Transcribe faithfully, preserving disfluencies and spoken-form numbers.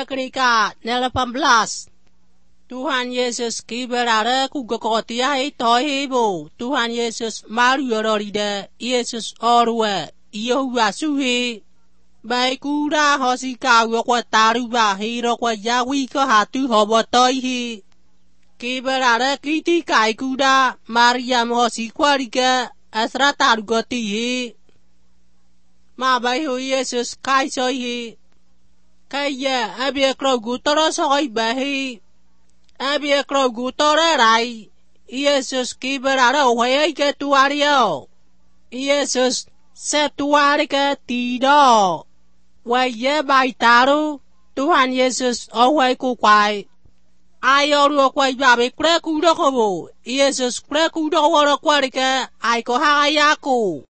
Mereka delapan belas. Tuhan Yesus kiberada kugakotia tohibo. Tuhan Yesus mariororide. Yesus orwe. Yehuwa suhi. Baikura hosika wakwa taruba hiro kwa yawi ko hatu hobotoihi. Kiberada kiti kaikuda Mariam hosikwarika asra tarugotihi. Mabayu Yesus kaisoihi. Kaya abia krogu toro sokoi bahi. Abia krogu toro rai. Yesus kiberada waya ke tuario. Yesus setuarika tido. Waya baitaru. Tuhan Yesus awai kukwai. Ayoru kwai babe kreku dokobo. Yesus kreku dokoro kwarika aiko hayaku.